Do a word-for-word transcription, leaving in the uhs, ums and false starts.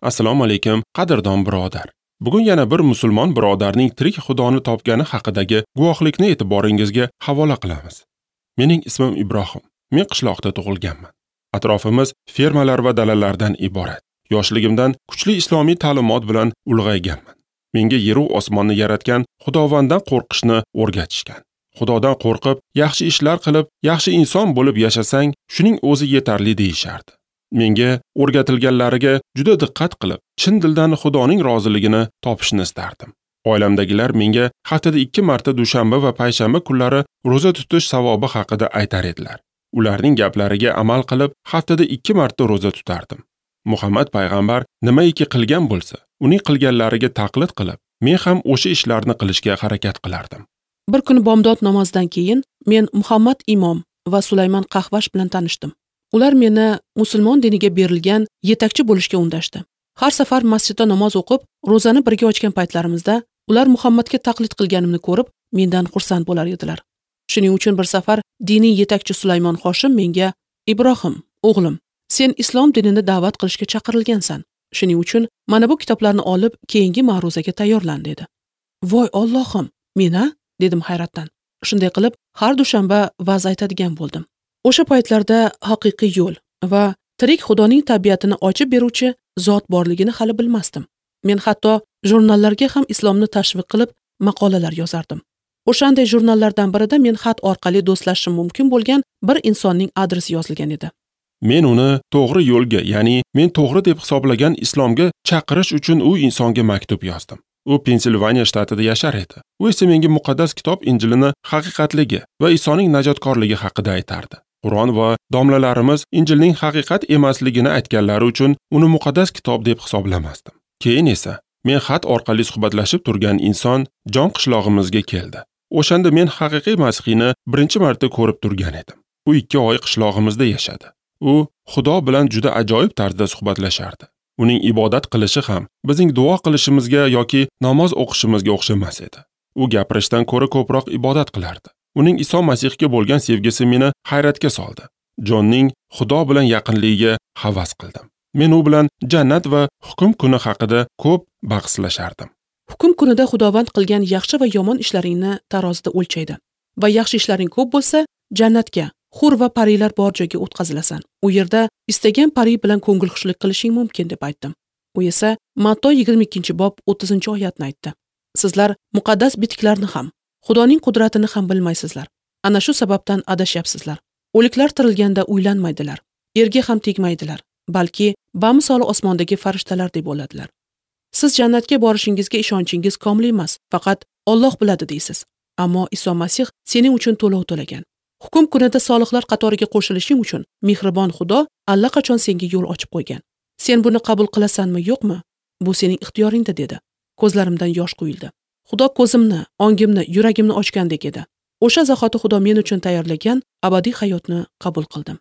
Assalomu alaykum, qadrdon birodar. Bugun yana bir musulmon birodarning tirik Xudoni topgani haqidagi guvohlikni e'tiboringizga havola qilamiz. Mening ismim Ibrohim. Men qishloqda tug'ilganman. Atrofimiz fermalar va dalalardan iborat. Yoshligimdan kuchli islomiy ta'limot bilan ulg'ayganman. Menga yeru osmonni yaratgan Xudovanddan qo'rqishni o'rgatishgan. Xudodan qo'rqib, yaxshi ishlar qilib, yaxshi inson bo'lib yashasang, shuning o'zi yetarli deyishardi. Menga o'rgatilganlariga juda diqqat qilib, chin dildan Xudoning roziligini topishni istardim. Oilamdagilar menga haftada ikki marta dushanba va payshanba kunlari ro'za tutish savobi haqida aytar edilar. Ularning gaplariga amal qilib, haftada ikki marta ro'za tutardim. Muhammad payg'ambar nimaiki qilgan bo'lsa, uning qilganlariga taqlid qilib, men ham o'sha ishlarni qilishga harakat qilardim. Bir kuni bomdod namozidan keyin men Muhammad imom va Sulaymon Qahvash bilan tanishdim. Ular meni musulmon diniga berilgan yetakchi bo'lishga undashdi. Har safar masjidda namoz o'qib, ro'zani birga ochgan paytlarimizda ular Muhammadga taqlid qilganimni ko'rib, mendan xursand bo'lar edilar. Shuning uchun bir safar diniy yetakchi Sulaymon Hoshim menga: "Ibrohim, o'g'lim, sen islom dinini da'vat qilishga chaqirilgansan. Shuning uchun mana bu kitoblarni olib, keyingi ma'ruzaga tayyorlan" dedi. "Voy Allohim, mena?" dedim hayratdan. Shunday qilib, har dushanba va'z aytadigan bo'ldim. O'sha paytlarda haqiqiy yo'l va tirik Xudoning tabiatini ochib beruvchi zot borligini hali bilmasdim. Men hatto jurnallarga ham islomni tashviq qilib maqolalar yozardim. O'shanday jurnallardan birida men xat orqali do'stlashishim mumkin bo'lgan bir insonning adresi yozilgan edi. Men uni to'g'ri yo'lga, ya'ni men to'g'ri deb hisoblagan islomga chaqirish uchun u insonga maktub yozdim. U Pensilvaniya shtatida yashar edi. U esa menga muqaddas kitob Injilini haqiqatligi va Isoning najotkorligi haqida aytardi. Qur'on va domlalarimiz Injilning haqiqat emasligini aytganlari uchun uni muqaddas kitob deb hisoblamasdim. Keyin esa men xat orqali suhbatlashib turgan inson Jon qishlog'imizga keldi. O'shanda men haqiqiy Masihni birinchi marta ko'rib turgan edim. U ikki oy qishlog'imizda yashadi. U Xudo bilan juda ajoyib tarzda suhbatlashardi. Uning ibodat qilishi ham bizning duo qilishimizga yoki namoz o'qishimizga o'xshamas edi. U gapirishdan ko'ra ko'proq ibodat qilardi. Uning Iso Masihga bo'lgan sevgisi meni hayratga soldi. Jonning Xudo bilan yaqinligiga havas qildim. Men u bilan jannat va hukm kuni haqida ko'p bahslashardim. Hukm kunida Xudovand qilgan yaxshi va yomon ishlaringni tarozida o'lchaydi. Va yaxshi ishlaring ko'p bo'lsa, jannatga, hur va parilar bor joyga o'tkazilasan. U yerda istagan pari bilan ko'ngilxushlik qilishing mumkin deb aytdim. U esa Matto yigirma ikkinchi bob o'ttizinchi oyatni aytdi. Sizlar muqaddas bitiklarni ham, Xudoning qudratini ham bilmaysizlar. Ana shu sababdan adashyapsizlar. O'liklar tirilganda uylanmaydilar, erga ham tegmaydilar, balki bamisoli osmondagi farishtalardek bo'ladilar. Siz jannatga borishingizga ishonchingiz komil emas, faqat Alloh biladi deysiz. Ammo Iso Masih sening uchun to'lov to'lagan. Hukm kunida solihlar qatoriga qo'shilishing uchun mehribon Xudo allaqachon senga yo'l ochib qo'ygan. Sen buni qabul qilasanmi, yo'qmi? Bu sening ixtiyoringda dedi. Ko'zlarimdan yosh quyildi. Xudo ko'zimni, ongimni, yuragimni ochgandek edi. O'sha zahoti Xudo men uchun tayyorlagan abadiy hayotni qabul qildim.